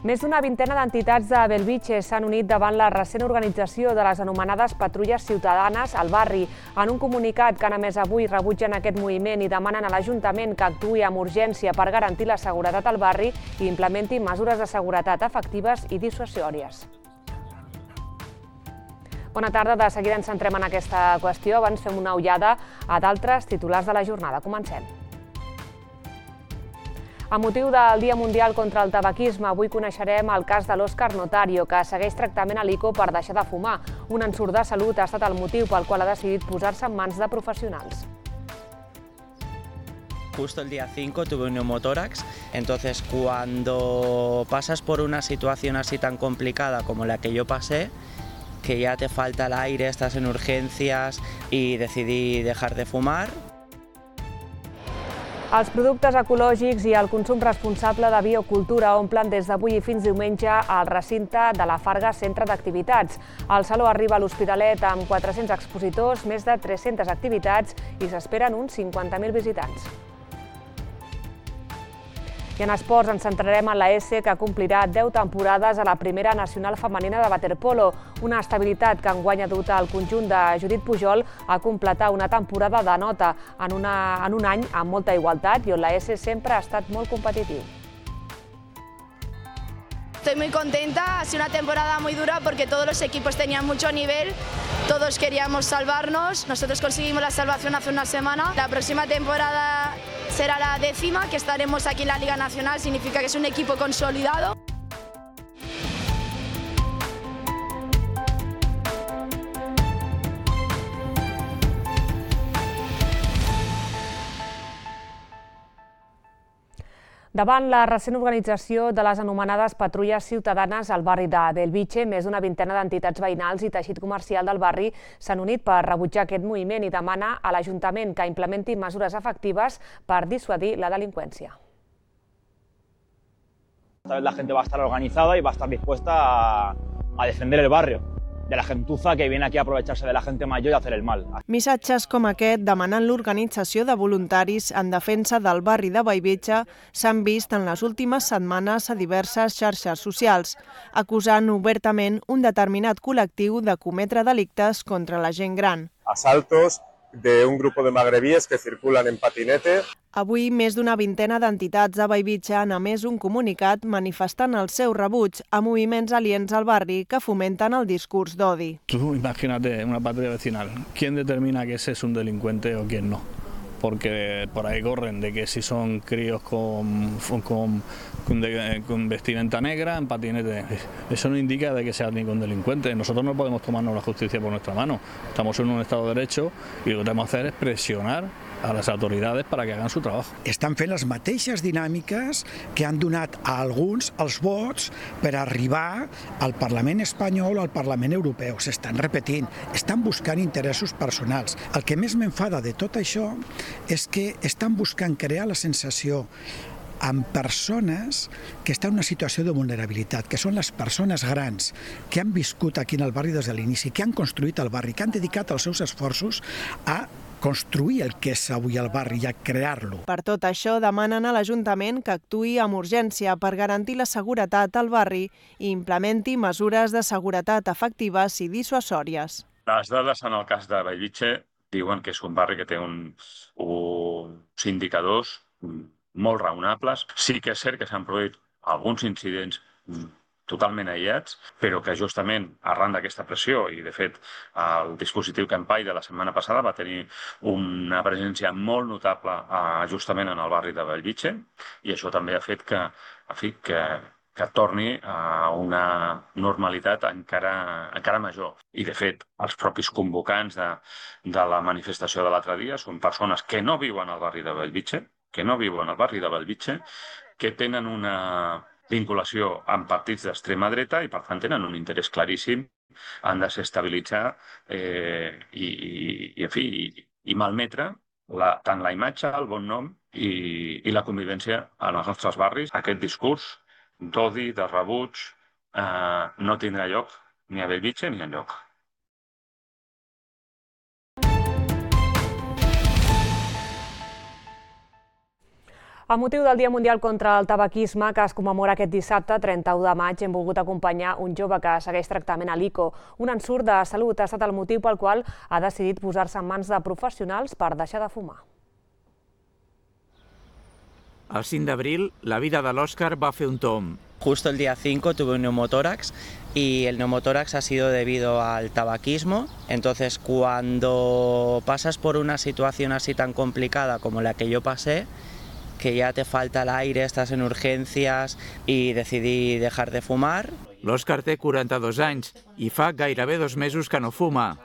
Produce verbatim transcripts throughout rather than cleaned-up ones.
Més d'una vintena d'entitats de Bellvitge s'han unit davant la recent organització de les anomenades patrulles ciutadanes al barri. En un comunicat que han emès avui rebutgen aquest moviment i demanen a l'Ajuntament que actuï amb urgència per garantir la seguretat al barri i implementi mesures de seguretat efectives i dissuasòries. Bona tarda, de seguida ens centrem en aquesta qüestió. Abans fem una ullada a d'altres titulars de la jornada. Comencem. A motiu del Dia Mundial contra el Tabaquisme, avui coneixerem el cas de l'Òscar Notario, que segueix tractament a l'I C O per deixar de fumar. Un ensurt de salut ha estat el motiu pel qual ha decidit posar-se en mans de professionals. Justo el día cinco tuve un neumotórax, entonces cuando pasas por una situación así tan complicada como la que yo pasé, que ya te falta el aire, estás en urgencias y decidí dejar de fumar. Els productes ecològics i el consum responsable de biocultura omplen des d'avui i fins diumenge al recinte de la Farga Centre d'Activitats. El saló arriba a l'Hospitalet amb quatre-cents expositors, més de tres-centes activitats i s'esperen uns cinquanta mil visitants. I en esports ens centrarem en la ESSE, que complirà deu temporades a la primera nacional femenina de waterpolo. Una estabilitat que enguany ha dut el conjunt de Judit Pujol a completar una temporada de nota en, una, en un any amb molta igualtat i on la ESSE sempre ha estat molt competitiu. Estoy muy contenta, ha sido una temporada muy dura porque todos los equipos tenían mucho nivel, todos queríamos salvarnos, nosotros conseguimos la salvación hace una semana. La próxima temporada será la décima, que estaremos aquí en la Liga Nacional, significa que es un equipo consolidado. Davant la recent organització de les anomenades patrulles ciutadanes al barri de Bellvitge, més d'una vintena d'entitats veïnals i teixit comercial del barri s'han unit per rebutjar aquest moviment i demana a l'Ajuntament que implementi mesures efectives per dissuadir la delinqüència. Esta vez la gente va a estar organizada y va a estar dispuesta a, a defender el barrio de la gentuza que viene aquí a aprovecharse de la gente mayor y hacer el mal. Missatges com aquest demanant l'organització de voluntaris en defensa del barri de Bellvitge s'han vist en les últimes setmanes a diverses xarxes socials, acusant obertament un determinat col·lectiu de cometre delictes contra la gent gran. Asaltos de un grupo de magrebíes que circulan en patinete. Avui, més d'una vintena d'entitats de Bellvitge han emès un comunicat manifestant el seu rebuig a moviments aliens al barri que fomenten el discurs d'odi. Tú imagínate una patrulla vecinal. ¿Quién determina que ese es un delincuente o quién no? Porque por ahí corren de que si son críos con, con, con, de, con vestimenta negra, en patinete. Eso no indica de que sea ningún delincuente. Nosotros no podemos tomarnos la justicia por nuestra mano. Estamos en un Estado de Derecho y lo que tenemos que hacer es presionar a les autoritats para que hagan su trabajo. Estan fent les mateixes dinàmiques que han donat a alguns els vots per arribar al Parlament espanyol o al Parlament europeu. S'estan repetint, estan buscant interessos personals. El que més m'enfada de tot això és que estan buscant crear la sensació amb persones que estan en una situació de vulnerabilitat, que són les persones grans que han viscut aquí en el barri des de l'inici, que han construït el barri, que han dedicat els seus esforços a construir el que és avui el barri i a crear-lo. Per tot això, demanen a l'Ajuntament que actuï amb urgència per garantir la seguretat al barri i implementi mesures de seguretat efectives i dissuasòries. Les dades en el cas de Bellvitge diuen que és un barri que té uns, uns indicadors molt raonables. Sí que és cert que s'han produït alguns incidents totalment aïllats, però que justament arran d'aquesta pressió, i de fet el dispositiu Campai de la setmana passada va tenir una presència molt notable justament en el barri de Bellvitge, i això també ha fet que, en fi, que, que torni a una normalitat encara, encara major. I de fet, els propis convocants de, de la manifestació de l'altre dia són persones que no viuen al barri de Bellvitge, que no viuen al barri de Bellvitge, que tenen una vinculació amb partits d'extrema dreta i, per tant, tenen un interès claríssim en desestabilitzar eh, i, i, i, en fi, i, i malmetre la, tant la imatge, el bon nom i, i la convivència en els nostres barris. Aquest discurs d'odi, de rebuig, eh, no tindrà lloc ni a Bellvitge ni enlloc. Amb motiu del Dia Mundial contra el Tabaquisme, que es commemora aquest dissabte, trenta-u de maig, hem volgut acompanyar un jove que segueix tractament a l'I C O. Un ensurt de salut ha estat el motiu pel qual ha decidit posar-se en mans de professionals per deixar de fumar. El cinc d'abril, la vida de l'Òscar va fer un tomb. Justo el día cinco tuve un neumotórax y el neumotórax ha sido debido al tabaquismo. Entonces, cuando pasas por una situación así tan complicada como la que yo pasé, que ya te falta el aire, estás en urgencias y decidí dejar de fumar. L'Òscar té quaranta-dos anys i fa gairebé dos mesos que no fuma.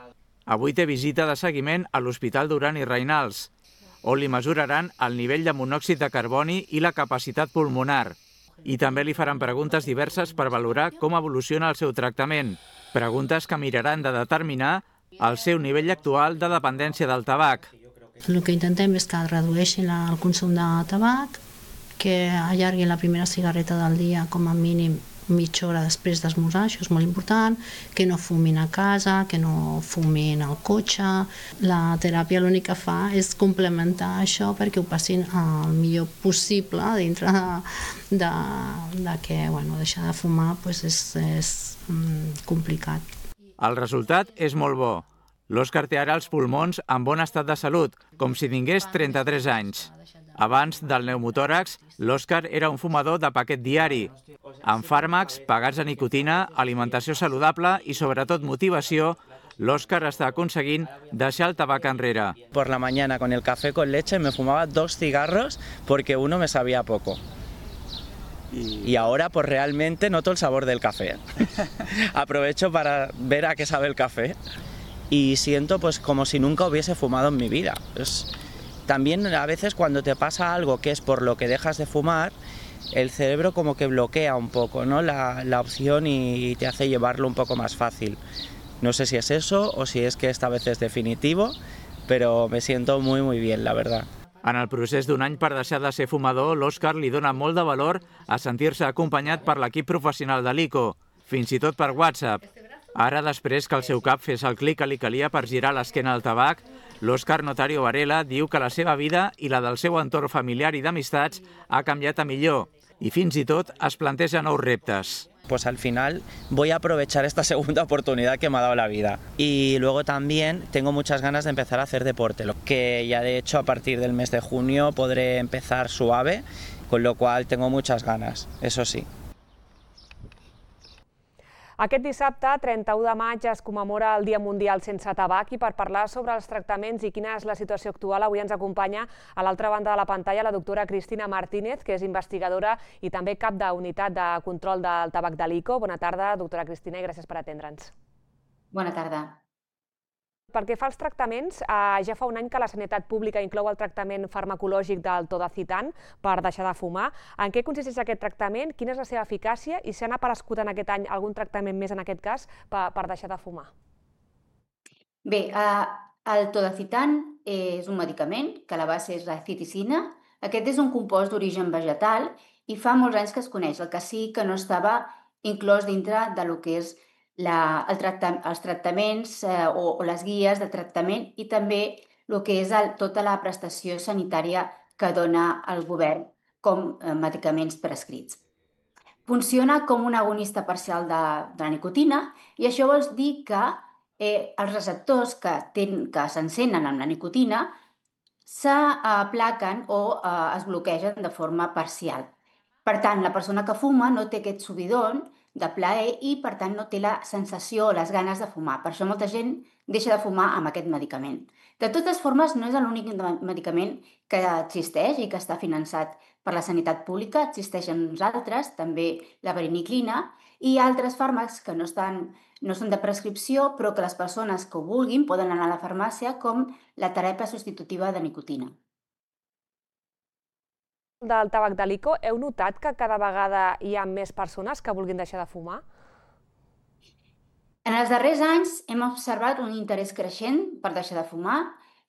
Avui té visita de seguiment a l'Hospital Duran i Reynals, on li mesuraran el nivell de monòxid de carboni i la capacitat pulmonar. I també li faran preguntes diverses per valorar com evoluciona el seu tractament. Preguntes que miraran de determinar el seu nivell actual de dependència del tabac. El que intentem és que redueixin el consum de tabac, que allarguin la primera cigarreta del dia com a mínim mitja hora després d'esmorzar, això és molt important, que no fumin a casa, que no fumin al cotxe. La teràpia l'únic que fa és complementar això perquè ho passin el millor possible dintre de, de, de que bueno, deixar de fumar pues és, és mm, complicat. El resultat és molt bo. L'Òscar té ara els pulmons en bon estat de salut, com si tingués trenta-tres anys. Abans del pneumotòrax, l'Òscar era un fumador de paquet diari, amb fàrmacs, pegats a nicotina, alimentació saludable i, sobretot, motivació. L'Òscar està aconseguint deixar el tabac enrere. Por la mañana con el café con leche me fumaba dos cigarros porque uno me sabía poco. Y ahora pues realmente noto el sabor del café. Aprovecho para ver a qué sabe el café y siento pues como si nunca hubiese fumado en mi vida. Es... También a veces cuando te pasa algo que es por lo que dejas de fumar, el cerebro como que bloquea un poco, ¿no? la, la opción y te hace llevarlo un poco más fácil. No sé si es eso o si es que esta vez es definitivo, pero me siento muy muy bien, la verdad. En el procés d'un any per deixar de ser fumador, l'Òscar li dona molt de valor a sentir-se acompanyat per l'equip professional de l'I C O, fins i tot per WhatsApp. Ara, després que el seu cap fes el clic que li calia per girar l'esquena al tabac, l'Òscar Notario Varela diu que la seva vida i la del seu entorn familiar i d'amistats ha canviat a millor i fins i tot es planteja nous reptes. Pues al final voy a aprovechar esta segunda oportunidad que me ha dado la vida. Y luego también tengo muchas ganas de empezar a hacer deporte, lo que ya de hecho a partir del mes de junio podré empezar suave, con lo cual tengo muchas ganas, eso sí. Aquest dissabte, trenta-u de maig, es commemora el Dia Mundial sense tabac i per parlar sobre els tractaments i quina és la situació actual, avui ens acompanya a l'altra banda de la pantalla la doctora Cristina Martínez, que és investigadora i també cap d'unitat de control del tabac de l'I C O. Bona tarda, doctora Cristina, i gràcies per atendre'ns. Bona tarda. Pel que fa als tractaments, ja fa un any que la sanitat pública inclou el tractament farmacològic del Todacitan per deixar de fumar. En què consisteix aquest tractament? Quina és la seva eficàcia? I si han aparegut en aquest any algun tractament més, en aquest cas, per deixar de fumar? Bé, el Todacitan és un medicament que a la base és la citicina. Aquest és un compost d'origen vegetal i fa molts anys que es coneix. El que sí que no estava inclòs dintre del que és La, el tracta, els tractaments eh, o, o les guies de tractament i també el que és el, tota la prestació sanitària que dona el govern com eh, medicaments prescrits. Funciona com un agonista parcial de, de la nicotina i això vol dir que eh, els receptors que, ten, que s'encenen amb la nicotina s'aplaquen o eh, es bloquegen de forma parcial. Per tant, la persona que fuma no té aquest subidon de plaer i, per tant, no té la sensació o les ganes de fumar. Per això molta gent deixa de fumar amb aquest medicament. De totes formes, no és l'únic medicament que existeix i que està finançat per la sanitat pública. Existeixen uns altres, també la vareniclina i altres fàrmacs que no, estan, no són de prescripció, però que les persones que ho vulguin poden anar a la farmàcia, com la teràpia substitutiva de nicotina. Del tabac de l'I C O, heu notat que cada vegada hi ha més persones que vulguin deixar de fumar? En els darrers anys hem observat un interès creixent per deixar de fumar,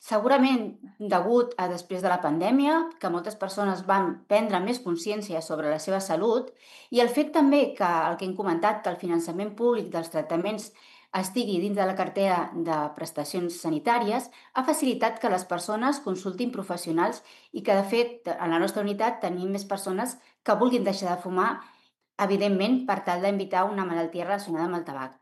segurament degut a després de la pandèmia, que moltes persones van prendre més consciència sobre la seva salut, i el fet també que el que hem comentat, que el finançament públic dels tractaments estigui dins de la cartera de prestacions sanitàries ha facilitat que les persones consultin professionals i que, de fet, a la nostra unitat tenim més persones que vulguin deixar de fumar, evidentment, per tal d'evitar una malaltia relacionada amb el tabac.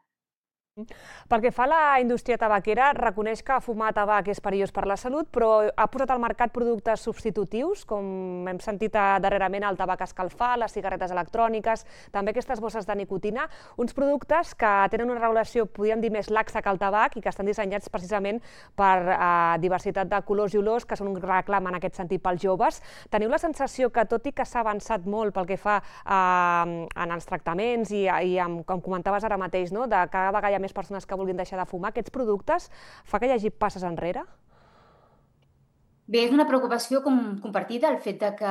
Pel que fa a la indústria tabaquera, reconeix que fumar tabac és perillós per la salut, però ha posat al mercat productes substitutius, com hem sentit darrerament el tabac escalfat, les cigarretes electròniques, també aquestes bosses de nicotina, uns productes que tenen una regulació, podríem dir, més laxa que el tabac i que estan dissenyats precisament per diversitat de colors i olors, que són un reclam en aquest sentit pels joves. Teniu la sensació que, tot i que s'ha avançat molt pel que fa en els tractaments i, com comentaves ara mateix, de cada vegada hi ha més persones que vulguin deixar de fumar, aquests productes fa que hi hagi passes enrere? Bé, és una preocupació compartida el fet que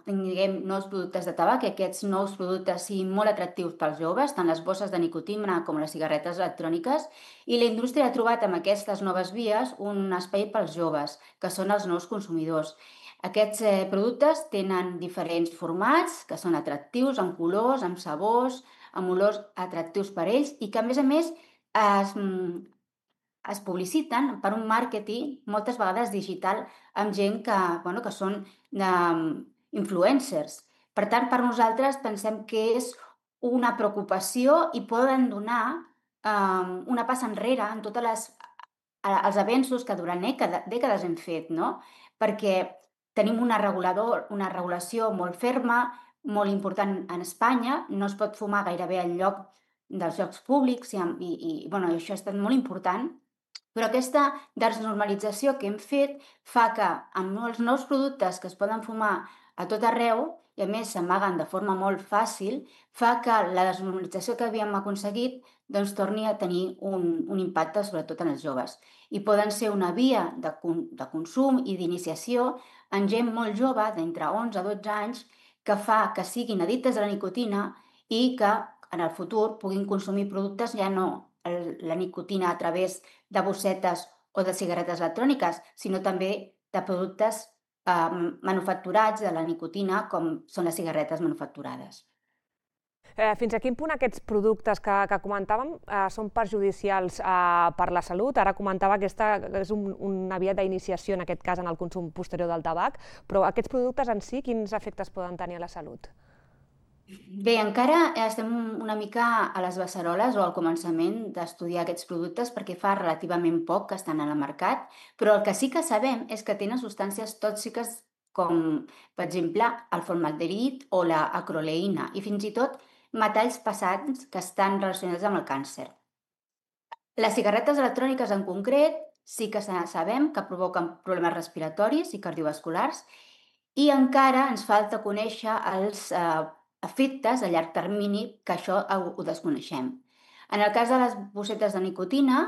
tinguem nous productes de tabac, que aquests nous productes siguin molt atractius pels joves, tant les bosses de nicotina com les cigarretes electròniques, i la indústria ha trobat amb aquestes noves vies un espai pels joves, que són els nous consumidors. Aquests productes tenen diferents formats, que són atractius, amb colors, amb sabors, amb olors atractius per ells, i que, a més a més, es, es publiciten per un màrqueting moltes vegades digital amb gent que, bueno, que són um, influencers. Per tant, per nosaltres pensem que és una preocupació i poden donar um, una passa enrere en tots els avenços que durant dècades hem fet, no? Perquè tenim una, regulador, una regulació molt ferma, molt important en Espanya, no es pot fumar gairebé enlloc dels llocs públics i, i, i bueno, això ha estat molt important, però aquesta desnormalització que hem fet fa que amb els nous productes que es poden fumar a tot arreu i a més s'amaguen de forma molt fàcil, fa que la desnormalització que havíem aconseguit doncs, torni a tenir un, un impacte sobretot en els joves. I poden ser una via de, de consum i d'iniciació en gent molt jove, d'entre onze a dotze anys, que fa que siguin addictes a la nicotina i que en el futur puguin consumir productes ja no la nicotina a través de bossetes o de cigarretes electròniques, sinó també de productes eh, manufacturats de la nicotina, com són les cigarretes manufacturades. Eh, fins a quin punt aquests productes que, que comentàvem eh, són perjudicials eh, per la salut? Ara comentava que aquesta és un, una via d'iniciació, en aquest cas, en el consum posterior del tabac, però aquests productes en si, quins efectes poden tenir a la salut? Bé, encara estem una mica a les beceroles o al començament d'estudiar aquests productes perquè fa relativament poc que estan al mercat, però el que sí que sabem és que tenen substàncies tòxiques com, per exemple, el formalderit o la acroleïna i fins i tot metalls pesants que estan relacionats amb el càncer. Les cigarretes electròniques en concret sí que sabem que provoquen problemes respiratoris i cardiovasculars i encara ens falta conèixer els eh, efectes a llarg termini, que això ho, ho desconeixem. En el cas de les bossetes de nicotina,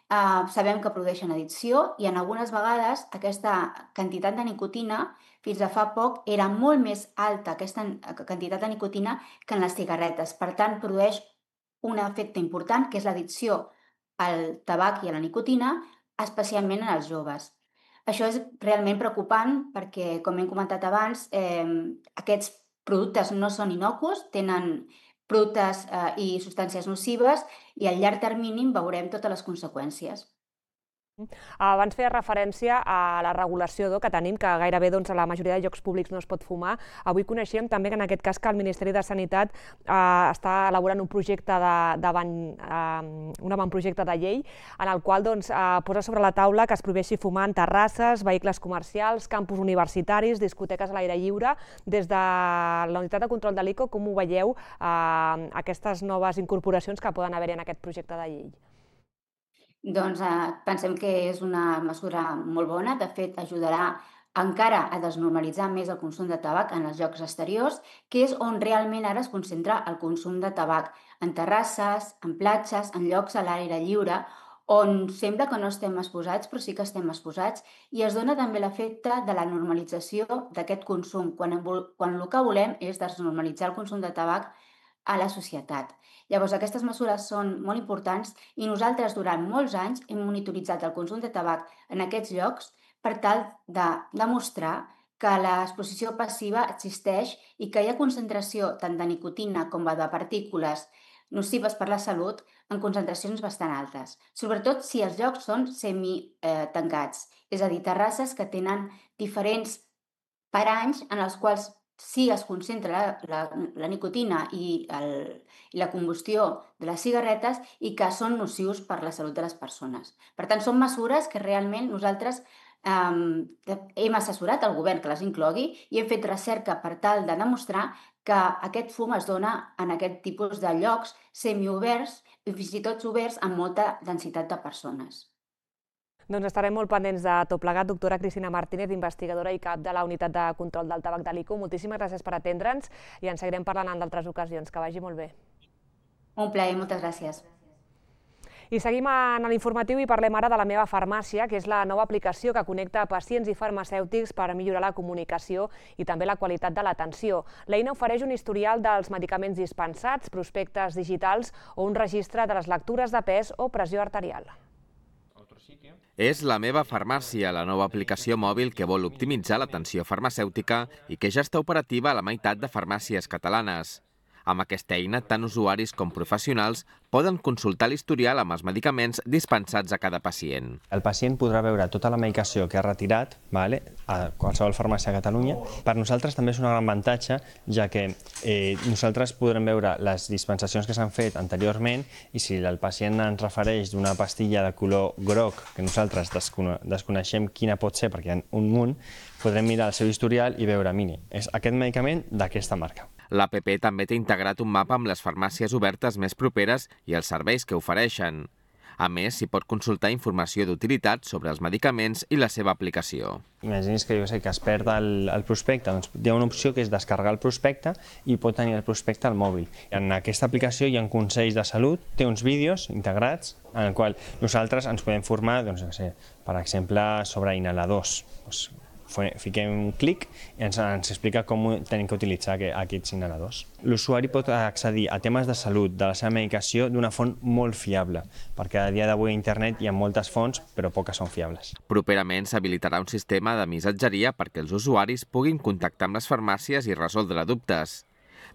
eh, sabem que produeixen addicció i en algunes vegades aquesta quantitat de nicotina fins a fa poc era molt més alta, aquesta quantitat de nicotina, que en les cigarretes. Per tant, produeix un efecte important, que és l'addicció al tabac i a la nicotina, especialment en els joves. Això és realment preocupant perquè, com hem comentat abans, eh, aquests productes no són innocus, tenen productes eh, i substàncies nocives i a llarg termini veurem totes les conseqüències. Abans feia referència a la regulació que tenim, que gairebé a la majoria de llocs públics no es pot fumar. Avui coneixíem també que en aquest cas que el Ministeri de Sanitat està elaborant un projecte un avantprojecte de llei en el qual posa sobre la taula que es prohibeixi fumar en terrasses, vehicles comercials, campus universitaris, discoteques a l'aire lliure. Des de la Unitat de Control de l'I C O, com ho veieu aquestes noves incorporacions que poden haver-hi en aquest projecte de llei? Doncs eh, pensem que és una mesura molt bona, de fet ajudarà encara a desnormalitzar més el consum de tabac en els llocs exteriors, que és on realment ara es concentra el consum de tabac, en terrasses, en platges, en llocs a l'aire lliure, on sembla que no estem exposats, però sí que estem exposats, i es dona també l'efecte de la normalització d'aquest consum, quan, quan el que volem és desnormalitzar el consum de tabac a la societat. Llavors, aquestes mesures són molt importants i nosaltres durant molts anys hem monitoritzat el consum de tabac en aquests llocs per tal de demostrar que l'exposició passiva existeix i que hi ha concentració tant de nicotina com de partícules nocives per la salut en concentracions bastant altes, sobretot si els llocs són semi-tancats, és a dir, terrasses que tenen diferents paranys en els quals sí es concentra la, la, la nicotina i, el, i la combustió de les cigarretes i que són nocius per la salut de les persones. Per tant, són mesures que realment nosaltres um, hem assessorat al govern que les inclogui i hem fet recerca per tal de demostrar que aquest fum es dona en aquest tipus de llocs semioberts i fins i tot oberts amb molta densitat de persones. Doncs estarem molt pendents de tot plegat. Doctora Cristina Martínez, investigadora i cap de la Unitat de Control del Tabac de l'I C U. Moltíssimes gràcies per atendre'ns i ens seguirem parlant en d'altres ocasions. Que vagi molt bé. Un plaer, moltes gràcies. I seguim en l'informatiu i parlem ara de la Meva Farmàcia, que és la nova aplicació que connecta pacients i farmacèutics per millorar la comunicació i també la qualitat de l'atenció. L'eina ofereix un historial dels medicaments dispensats, prospectes digitals o un registre de les lectures de pes o pressió arterial. És la Meva Farmàcia, la nova aplicació mòbil que vol optimitzar l'atenció farmacèutica i que ja està operativa a la meitat de farmàcies catalanes. Amb aquesta eina, tant usuaris com professionals poden consultar l'historial amb els medicaments dispensats a cada pacient. El pacient podrà veure tota la medicació que ha retirat vale, a qualsevol farmàcia a Catalunya. Per nosaltres també és un gran avantatge, ja que eh, nosaltres podrem veure les dispensacions que s'han fet anteriorment i si el pacient ens refereix d'una pastilla de color groc, que nosaltres descone desconeixem quina pot ser perquè hi ha un munt, podrem mirar el seu historial i veure, mini, és aquest medicament d'aquesta marca. L'app també té integrat un mapa amb les farmàcies obertes més properes i els serveis que ofereixen. A més, s'hi pot consultar informació d'utilitat sobre els medicaments i la seva aplicació. Imagini's que jo sé que es perd el, el prospecte, doncs hi ha una opció que és descarregar el prospecte i pot tenir el prospecte al mòbil. En aquesta aplicació hi ha consells de salut, té uns vídeos integrats en el qual nosaltres ens podem formar, doncs, no sé, per exemple, sobre inhaladors. Doncs, fiquem un clic i ens, ens explica com tenim que utilitzar aquests inhaladors. L'usuari pot accedir a temes de salut de la seva medicació d'una font molt fiable, perquè a dia d'avui a internet hi ha moltes fonts, però poques són fiables. Properament s'habilitarà un sistema de missatgeria perquè els usuaris puguin contactar amb les farmàcies i resoldre dubtes.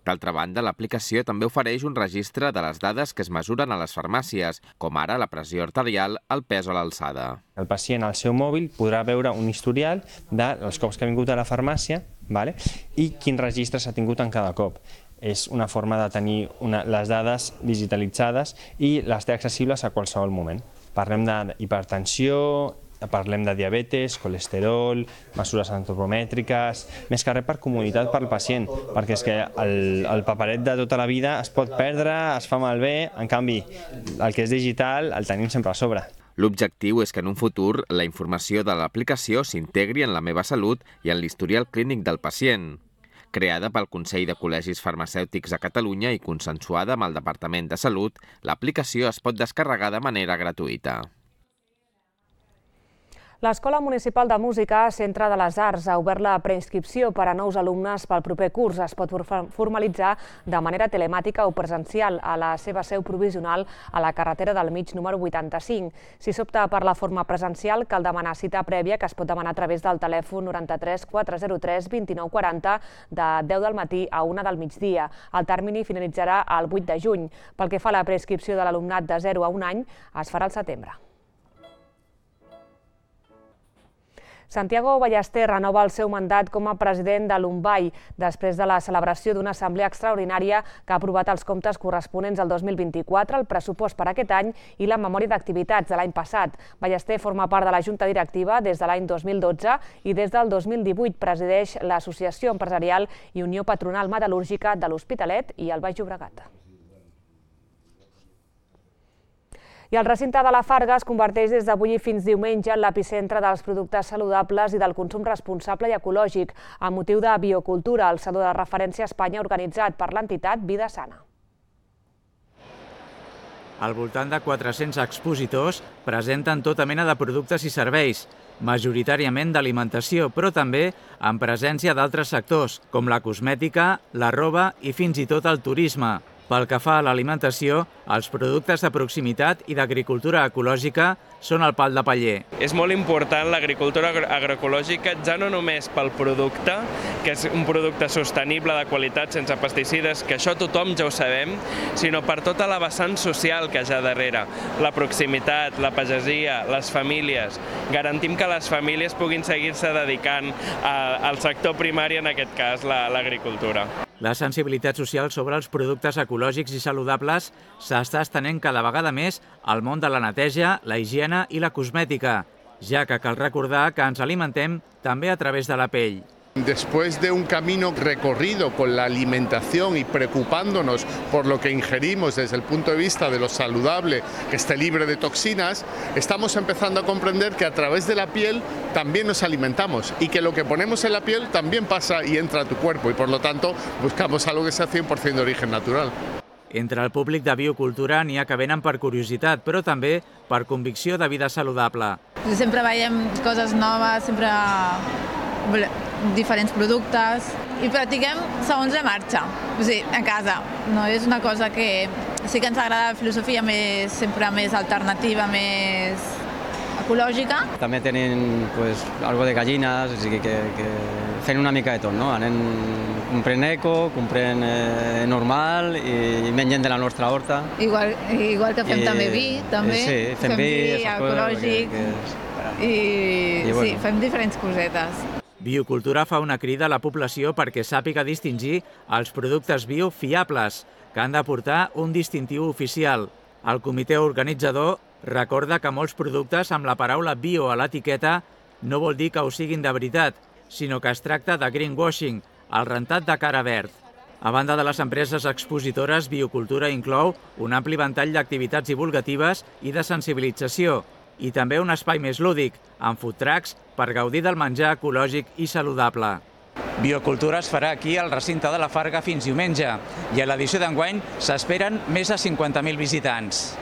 D'altra banda, l'aplicació també ofereix un registre de les dades que es mesuren a les farmàcies, com ara la pressió arterial, el pes o l'alçada. El pacient al seu mòbil podrà veure un historial dels cops que ha vingut a la farmàcia, vale? I quin registre s'ha tingut en cada cop. És una forma de tenir una, les dades digitalitzades i les té accessibles a qualsevol moment. Parlem d'hipertensió, parlem de diabetes, colesterol, mesures antropomètriques, més que res per comoditat per al pacient, perquè és que el, el paperet de tota la vida es pot perdre, es fa malbé, en canvi el que és digital el tenim sempre a sobre. L'objectiu és que en un futur la informació de l'aplicació s'integri en la Meva Salut i en l'historial clínic del pacient. Creada pel Consell de Col·legis Farmacèutics a Catalunya i consensuada amb el Departament de Salut, l'aplicació es pot descarregar de manera gratuïta. L'Escola Municipal de Música, Centre de les Arts, ha obert la preinscripció per a nous alumnes pel proper curs. Es pot formalitzar de manera telemàtica o presencial a la seva seu provisional a la carretera del Mig número vuitanta-cinc. Si s'opta per la forma presencial, cal demanar cita prèvia que es pot demanar a través del telèfon noranta-tres quatre zero tres vint nou quaranta de deu del matí a una del migdia. El termini finalitzarà el vuit de juny. Pel que fa a la preinscripció de l'alumnat de zero a un any, es farà al setembre. Santiago Ballester renova el seu mandat com a president de l'Umbai després de la celebració d'una assemblea extraordinària que ha aprovat els comptes corresponents al dos mil vint-i-quatre, el pressupost per aquest any i la memòria d'activitats de l'any passat. Ballester forma part de la Junta Directiva des de l'any dos mil dotze i des del dos mil divuit presideix l'Associació Empresarial i Unió Patronal Metal·lúrgica de l'Hospitalet i el Baix Llobregat. I el recinte de la Farga es converteix des d'avui fins diumenge en l'epicentre dels productes saludables i del consum responsable i ecològic, amb motiu de biocultura, el saló de referència a Espanya organitzat per l'entitat Vida Sana. Al voltant de quatre-cents expositors presenten tota mena de productes i serveis, majoritàriament d'alimentació, però també amb presència d'altres sectors, com la cosmètica, la roba i fins i tot el turisme. Pel que fa a l'alimentació, els productes de proximitat i d'agricultura ecològica són el pal de paller. És molt important l'agricultura agroecològica, ja no només pel producte, que és un producte sostenible, de qualitat, sense pesticides, que això tothom ja ho sabem, sinó per tota la vessant social que hi ha darrere. La proximitat, la pagesia, les famílies. Garantim que les famílies puguin seguir-se dedicant al sector primari, en aquest cas l'agricultura. La sensibilitat social sobre els productes ecològics i saludables s'està estenent cada vegada més al món de la neteja, la higiene i la cosmètica, ja que cal recordar que ens alimentem també a través de la pell. Después de un camino recorrido con la alimentación y preocupándonos por lo que ingerimos desde el punto de vista de lo saludable, que esté libre de toxinas, estamos empezando a comprender que a través de la piel también nos alimentamos y que lo que ponemos en la piel también pasa y entra a tu cuerpo y por lo tanto buscamos algo que sea cent per cent d'origen natural. Entre el públic de biocultura n'hi ha que venen per curiositat, però també per convicció de vida saludable. Sempre veiem coses noves, sempre diferents productes i practiquem segons la marxa, o sigui, a casa. No és una cosa que sí que ens agrada la filosofia més, sempre més alternativa, més ecològica. També tenen pues, algo de gallines, o sigui que, que fent una mica de tot, no? Anem comprant eco, comprant eh, normal i mengen de la nostra horta. Igual, igual que fem I, també vi, també. Sí, fem, fem vi, vi ecològic que, que, i, i bueno. Sí, fem diferents cosetes. Biocultura fa una crida a la població perquè sàpiga distingir els productes bio fiables, que han de portar un distintiu oficial. El comitè organitzador recorda que molts productes amb la paraula bio a l'etiqueta no vol dir que ho siguin de veritat, sinó que es tracta de greenwashing, el rentat de cara verd. A banda de les empreses expositores, Biocultura inclou un ampli ventall d'activitats divulgatives i de sensibilització, i també un espai més lúdic, amb food trucks, per gaudir del menjar ecològic i saludable. Biocultura es farà aquí al recinte de la Farga fins diumenge i a l'edició d'enguany s'esperen més de cinquanta mil visitants.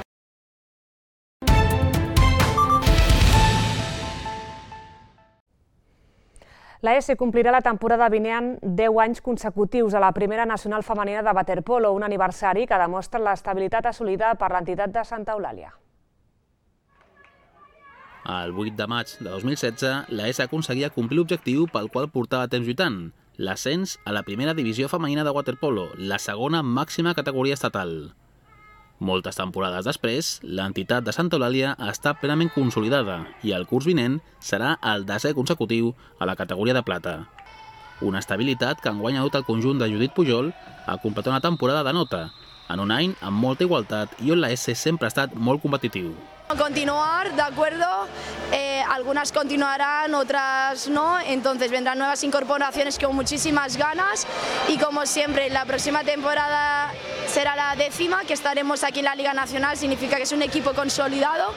La ESE complirà la temporada vinent deu anys consecutius a la primera nacional femenina de waterpolo, un aniversari que demostra l'estabilitat assolida per l'entitat de Santa Eulàlia. El vuit de maig de dos mil setze, la ESE aconseguia complir l'objectiu pel qual portava temps lluitant, l'ascens a la primera divisió femenina de waterpolo, la segona màxima categoria estatal. Moltes temporades després, l'entitat de Santa Eulàlia està plenament consolidada i el curs vinent serà el desè consecutiu a la categoria de plata. Una estabilitat que enguany ha dut el conjunt de Judit Pujol a completar una temporada de nota, en un any amb molta igualtat i on la ESE sempre ha estat molt competitiu. Continuar, de acuerdo, eh, algunas continuarán, otras no, entonces vendrán nuevas incorporaciones con muchísimas ganas y como siempre la próxima temporada será la décima, que estaremos aquí en la Liga Nacional, significa que es un equipo consolidado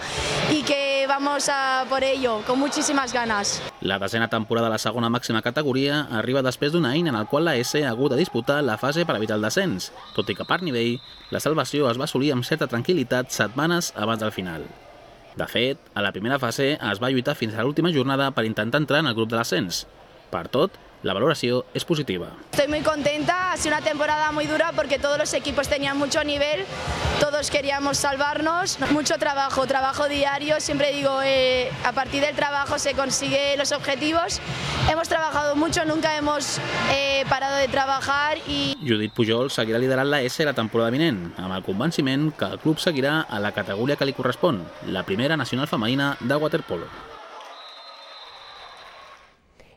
y que vamos a por ello, con muchísimas ganas. La desena temporada de la segona màxima categoria arriba després d'un any en el qual la ESE ha hagut de disputar la fase per evitar el descens, tot i que per nivell la salvació es va assolir amb certa tranquil·litat setmanes abans del final. De fet, a la primera fase es va lluitar fins a l'última jornada per intentar entrar en el grup de l'ascens. Per tot, la valoració es positiva. Estoy muy contenta, ha sido una temporada muy dura porque todos los equipos tenían mucho nivel, todos queríamos salvarnos, mucho trabajo, trabajo diario, siempre digo, eh, a partir del trabajo se consiguen los objetivos. Hemos trabajado mucho, nunca hemos eh, parado de trabajar i... Judit Pujol seguirà liderant la ESE la temporada vinent, amb el convenciment que el club seguirà a la categoria que li correspon, la primera nacional femenina de waterpolo.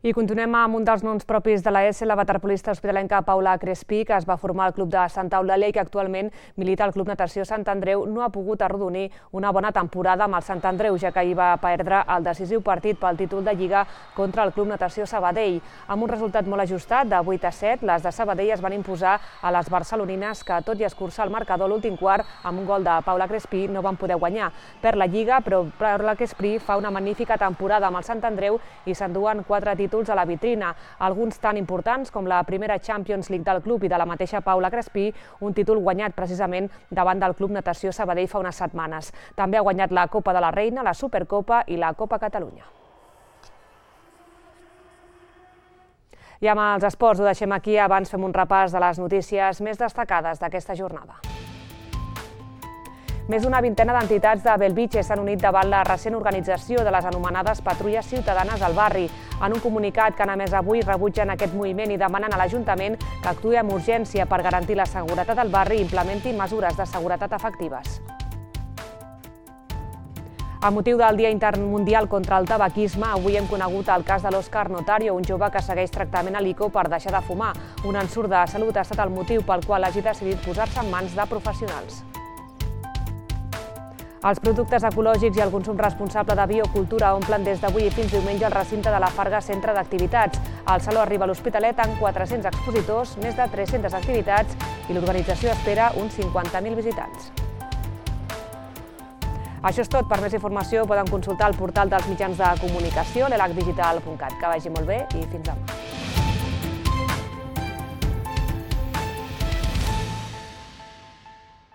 I continuem amb un dels noms propis de la ESE, la waterpolista hospitalenca Paula Crespí, que es va formar al club de Santa Eulàlia i que actualment milita al Club Natació Sant Andreu, no ha pogut arrodonir una bona temporada amb el Sant Andreu, ja que hi va perdre el decisiu partit pel títol de Lliga contra el Club Natació Sabadell. Amb un resultat molt ajustat, de vuit a set, les de Sabadell es van imposar a les barcelonines que, tot i escurçar el marcador l'últim quart, amb un gol de Paula Crespí, no van poder guanyar. Per la Lliga, però Paula Crespí fa una magnífica temporada amb el Sant Andreu i s'enduen quatre títols a la vitrina, alguns tan importants com la primera Champions League del club i de la mateixa Paula Crespí, un títol guanyat precisament davant del Club Natació Sabadell fa unes setmanes. També ha guanyat la Copa de la Reina, la Supercopa i la Copa Catalunya. I amb els esports ho deixem aquí, abans fem un repàs de les notícies més destacades d'aquesta jornada. Més d'una vintena d'entitats de Bellvitge s'han unit davant la recent organització de les anomenades patrulles ciutadanes al barri. En un comunicat que han emès avui rebutgen aquest moviment i demanen a l'Ajuntament que actuï amb urgència per garantir la seguretat al barri i implementi mesures de seguretat efectives. A motiu del Dia Intermundial contra el Tabaquisme, avui hem conegut el cas de l'Òscar Notario, un jove que segueix tractament a l'I C O per deixar de fumar. Un ensurt de salut ha estat el motiu pel qual hagi decidit posar-se en mans de professionals. Els productes ecològics i el consum responsable de biocultura omplen des d'avui i fins diumenge el recinte de la Farga Centre d'Activitats. Al Saló arriba a l'Hospitalet amb quatre-cents expositors, més de tres-centes activitats i l'organització espera uns cinquanta mil visitants. Això és tot. Per més informació poden consultar el portal dels mitjans de comunicació, l'elac digital punt cat. Que vagi molt bé i fins demà.